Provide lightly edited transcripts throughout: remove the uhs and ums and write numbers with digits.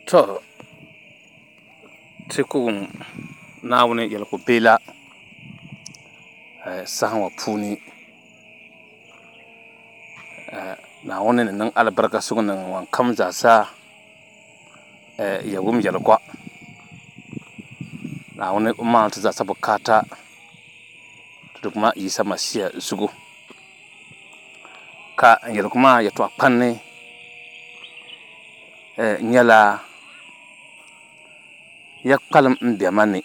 To, ti ku wum Naawuni yɛligu biɛla saha ŋɔ puuni. Naawuni ni niŋ alibarika suŋ niŋ ŋɔn kam zaa sa ya wum yɛligu. Naawuni o maani ti zaa sa bukaata ti Duuma Yisa Masia zuɣu. Ka n yɛligu maa yɛtɔɣa kpanni nyɛla ya kpalim n bɛ ma ni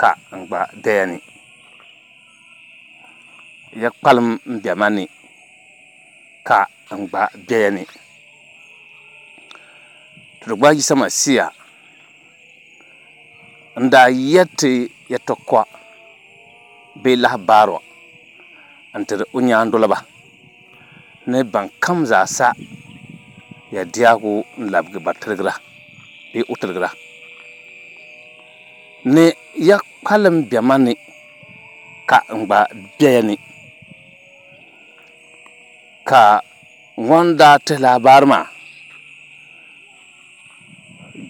ka n gba bɛ ya ni. Ya kpalim n bɛ ma ni ka n gba bɛ ya ni. Ti Duuma Yisa Masia n daa yɛri ti yɛtɔɣa bee lahabaaru n-tiri o nyaandoliba ni ban kam zaa sa ya diɛhigu n-labigi ba tiligira bee o tiligira ni ya kpalim bɛ ma ni ka n gba bɛ ya ni. Ka ŋɔn daa tihi lahabaaru maa,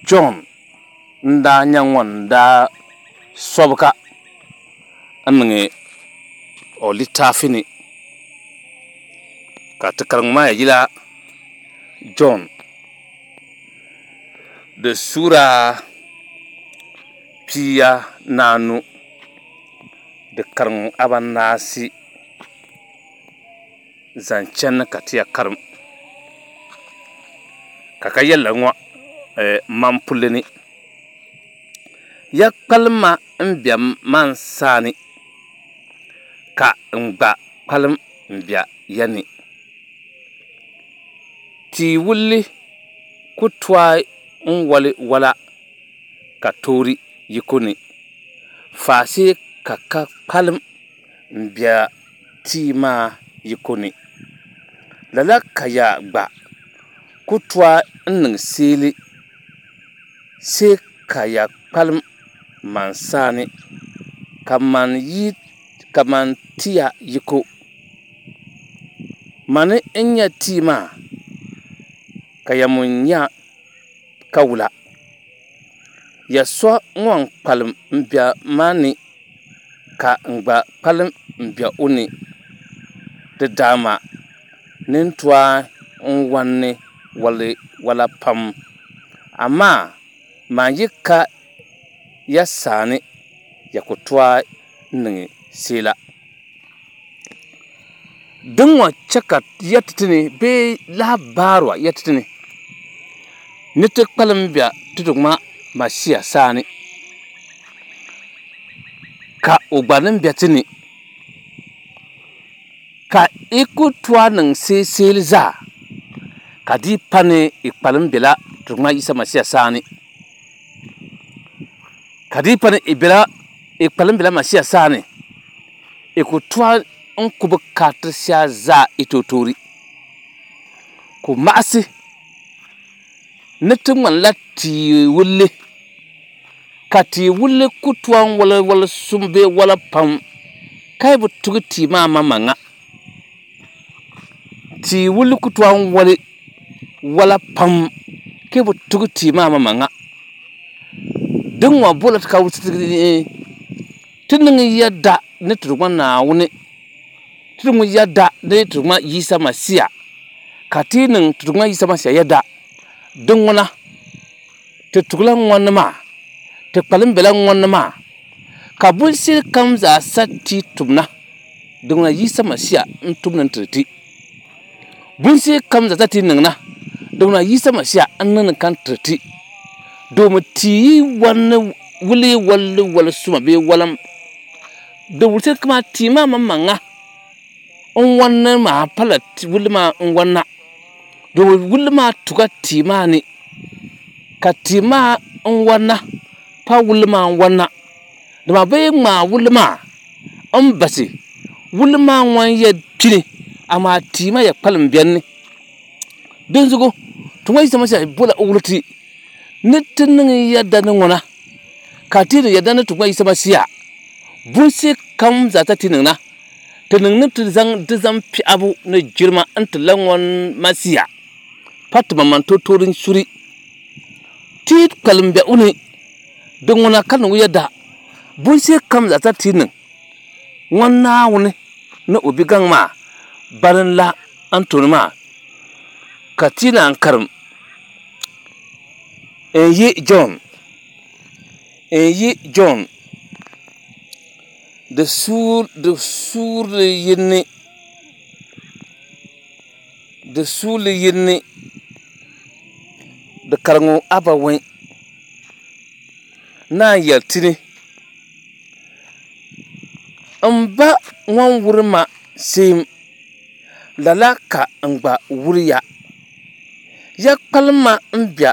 Jɔn n-daa nyɛ ŋɔn daa sɔbi ka n-niŋ o litaafi ni, ka ti kariŋ maa yila Jɔn di suura 15 di kariŋ abanaasi zaŋ chani ka ti ya karim ka ka yɛlila ŋɔ man pulli ni, Ya kpalimma m be man saani, ka n gba kpalim m be ya ni. Tia wulli ku tooi n-wali wala ka toori yiko ni, faashee ka ka kpalim m-be tia maa yiko ni. Lala ka ya gba ku tooi n-niŋ seeli, see ka ya kpalim man saani ka man ti ya yiko. Mani n-nyɛ tia maa, ka ya mi nyɛ kawula. Ya so ŋɔn kpalim m-be ma ni, ka n gba kpalim m-be o ni, di daama ni tooi n-wani wala pam, amaa man yi ka ya saani, ya ku tooi niŋ seela. Din ŋɔ chɛ ka yɛri ti ti ni bee lahabaaru yɛri ti ti ni ni ti kpalim be ti Duuma Masia saani, ka o gba ni be ti ni, ka i ku tooi niŋ seeseeli zaa, ka di pa ni i kpalim bela ti Duuma Yisa Masia saani, ka di pa ni i kpalim bela Masia saani, i ku tooi n-ku bukaata shɛli zaa i tooi Ku maɣisi ni ti ŋmanila tia wulli, ka tia wulli ku tooi n-wali wal suŋ bee wala pam, ka yi bi tugi tia maa maŋmaŋa. Tia wulli ku tooi n-wali wala pam, ka yi bi tugi tia maa maŋmaŋa. Din ŋɔ bola ti ka wulisi ti niŋ yɛda ni ti Duuma Naawuni, ti niŋ yɛda ni ti Duuma Yisa Masia, ka ti yi niŋ ti Duuma Yisa Masia yɛda, din ŋuna ti tugila ŋɔni maa, ti kpalim bela ŋɔni maa, ka binshɛli kam zaa sa ti tumna, din ŋuna Yisa Masia n-tumdi n-tiri ti. Binshɛli kam zaa sa ti niŋna, din ŋuna Yisa Masia n-niŋdi ka n-tiri ti. Doomi ti yi wani wuli wali wali suma bee walim, di wulisi kaman tia maa maŋmaŋa n-wani maa pala wulli maa n-wanna. Doomi wulli maa tuga tia maa ni, ka tia maa n-wanna pa wulli maa n-wanna. Dama bɛ yi ŋmaai wulli maa m-basi, wulli maa ŋɔn yɛn kpini, amaa tia maa yɛn kpalim beni ni. Dinzuɣu ti ŋɔ Yisa Masia bola o wuli ti ni ti niŋ yɛda ni ŋuna, ka ti niŋ yɛda ni ti ŋɔ Yisa Masia bunsi kam zaa sa ti niŋ na, ti niŋ ni ti zaŋ di zaŋ piɛɣibu ni jilima n-ti la ŋɔn Masia pa ti maŋmaŋ totoori n-suri. Ti yi kpalim be o ni, di ŋuna ka niŋ o yɛda. Bunshee kam zaa sa ti niŋ ŋɔ Naawuni ni o bi gaŋ maa bari n-la n tooni maa, ka ti naan karim n-yi Jɔn, n-yi Jɔn di suurili yini, di suurili yini, di kariŋ abawɛi naan yɛli ti ni, N Ba ŋun wuri ma seem, lala ka n gba wuri ya. Ya kpalim ma m-be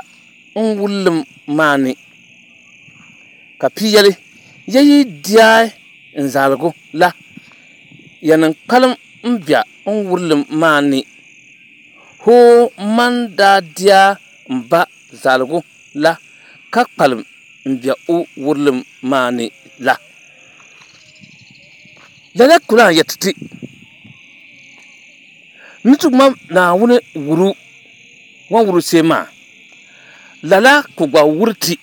n wurilim maa ni. Ka pii yɛli, Ya yi deei n zaligu la, yɛn kpalim m-be n wurilim maa ni. Hoo man daa deei m Ba zaligu la ka kpalim m-be o wurilim maa ni la. Lala ku lan yɛti ti ni ti ŋma Naawuni wuru ŋɔ wuru shee maa, lala ka o gba wuri ti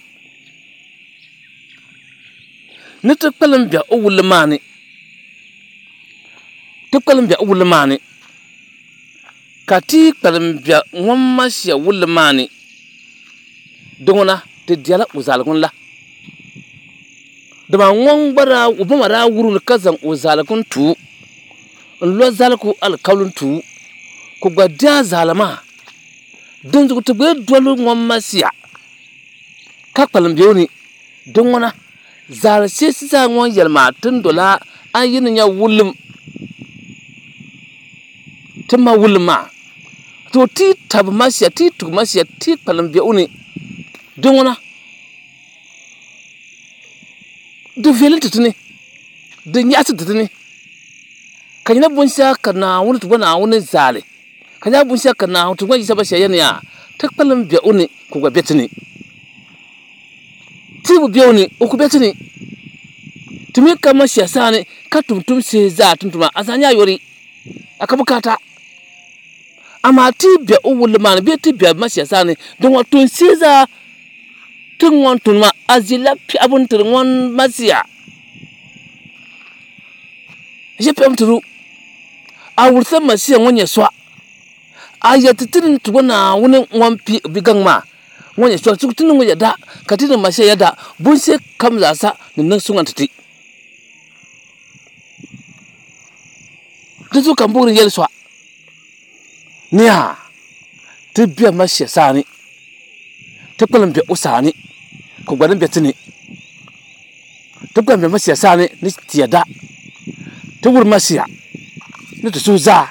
ni ti kpalim be o wurili maa ni. Ti kpalim be o wurili maa ni, ka ti kpalim be ŋun Masia wurili maa ni, di ŋuna ti dela o zaligu la. Dama ŋun gba daa, o ba maa daa wuri mi ka zaŋ o zaligu n-ti o, n-lo zaligu alikauli n-ti o, ka o gba di a zali maa. Dinzuɣu ti gba yi doli ŋun Masia ka kpalim be o ni, di ŋuna zaali sheesi zaa ŋun yɛli maa ti ni dol a, a yi ni nya wulim ti ma wulim maa. To ti tabi Masia, ti tugi Masia, ti kpalim be o ni, di ŋuna di viɛli ti ti ni, di nyaɣisi ti ti ni, ka nyɛla binshɛɣu ka Naawuni ti gba Naawuni zaali, ka nyɛla binshɛɣu ka Naawuni ti gba Yisa Masia yɛli ni yaa ti kpalim be o ni ka o gba be ti ni. Ti bi be o ni, o ku be ti ni. Ti mi ka Masia sani ka tum tumsi zaa ti ni tum maa, a zaa nyɛ a yori, a ka bukaata. Amaa ti be o wulli maa ni bee ti be Masia sani, din ŋɔ tumsi zaa ti ŋɔ ni tum maa, a ʒila piɛɣu n-tiri ŋɔn Masia. A ʒila piɛɣu n-tiri o. A wurisila Masia ŋɔ nyɛ sɔɣ. A yɛli ti ti ni ti bo Naawuni ŋun pii o bigaŋ maa ŋɔ nyɛ soli ti niŋ o yɛda, ka ti niŋ Masia yɛda, bunshɛli kam zaa sa ni niŋ suŋa n-ti ti. Di zuɣu ka m booni yɛli sɔɣ ni yaa ti be Masia sani, ti kpalim be o sani ka o gba ni be ti ni. Ti kpalim be Masia sani ni ti yɛda, ti wuri Masia ni ti suhu zaa,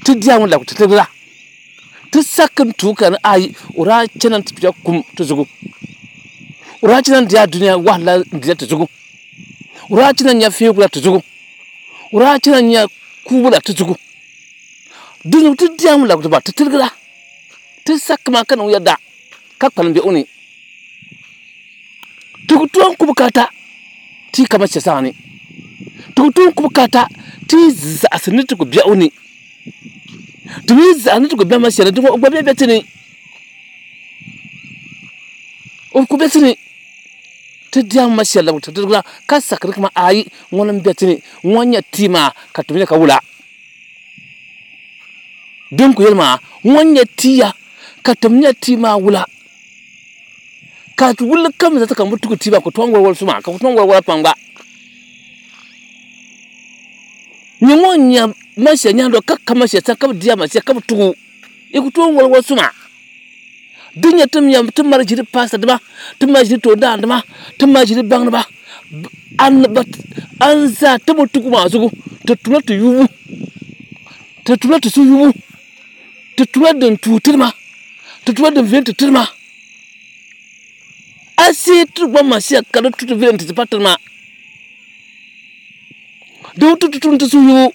ti diya ŋun labi ti tibila, ti saki n-tuui ka ni ayi o daa chana nti tuya kum ti zuɣu, o daa chana n-di adunia wahala n-dila ti zuɣu, o daa chana n-nya feegu la ti zuɣu, o daa chana n-nya kuubu la ti zuɣu. Dinzuɣu ti diya ŋun labi ti ba ti tiligira, ti saki maa ka niŋ yɛda ka kpalim be o ni. Ti ku tooi ku bukaata ti ka Masia saha ni. Ti ku tooi ku bukaata ti zaɣisi ni ti ku be o ni. Ti mi zaɣisi ni ti ku be Masia ni, di o gba be be ti ni. O ku be ti ni. Ti diɛm Masia labi ti dirigila ka sakiri kaman ayi ŋuni m-be ti ni, ŋɔ n-nyɛ tia maa ka ti mi nya ka wula. Din ku yɛli maa, ŋɔ n-nyɛ tia ka ti mi nya tia maa wula. Ka wulli kam zaa ka n bi tugi tia maa ka tooi wali wali suma ka ku tooi wali wala pam gba. Nyɛ ŋɔ n-nyɛ Masia nyaandoli ka ka Masia sani ka bi di a Masia ka bi tugi o, yi ku tooi wali wali suma. Di nyɛ ti mi ti mali ʒiri paasitadima, ti mali ʒiri toondaandima, ti mali ʒiri baŋdiba, an zaa ti bi tugi maa zuɣu ti tumla ti yubu, ti tumla ti suhuyubu, ti tumla din tuui tiri ma, ti tumla din viɛli ti tiri ma. A see ti gba Masia ka di tu ti viɛli nti ti pa tiri ma. Di bi tu ti tum ti suhuyubu,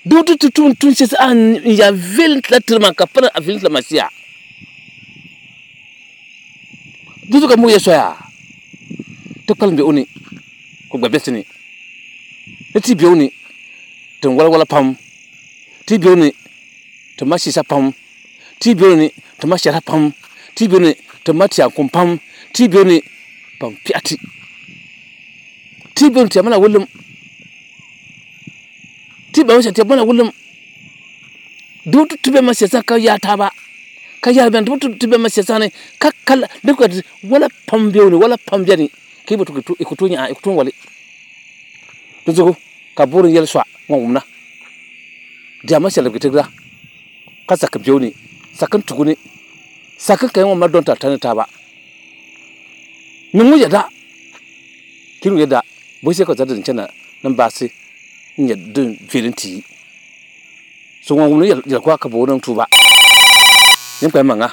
di bi tu ti tum tuun shɛli a ni ya viɛli nti la tiri ma ka pa ni a viɛli nti la Masia. Di zuɣu ka m bɔri ya soya ti kpalim be o ni ka o gba be ti ni. Ni ti be o ni ti ni wali wala pam, ti be o ni ti mali shiisa pam, ti be o ni ti mali shɛhira pam, Ti be ni ti ma ti kum pam, ti be ni ban kpiɛhi ti. Ti be ni ti mana wulim, ti be ni ti mana wulim. Di bi tu ti bɛ ma siyasa ka yaa taaba ka yaari bɛni, di bi tu ti bɛ ma siyasa ni ka kala di ka wala pam bɛ ni, wala pam bɛni ka yi bi tu i ku tooi nya, i ku tooi wali. Di zuɣu ka boori yɛli sɔɣ ŋɔ wumna diɛma shɛli bi tigira ka saki bɛ ni, saki tugu ni, saki ka ŋɔ ma dɔn ta tani taaba. Niŋ ŋɔ yɛda, kiri ŋɔ yɛda bɔ shɛli ka za din chana ni baasi n-nyɛ din viɛli n-ti yi. So ŋɔ wumdi yɛli ka boori niŋ tuuba. Yin kpali maŋa.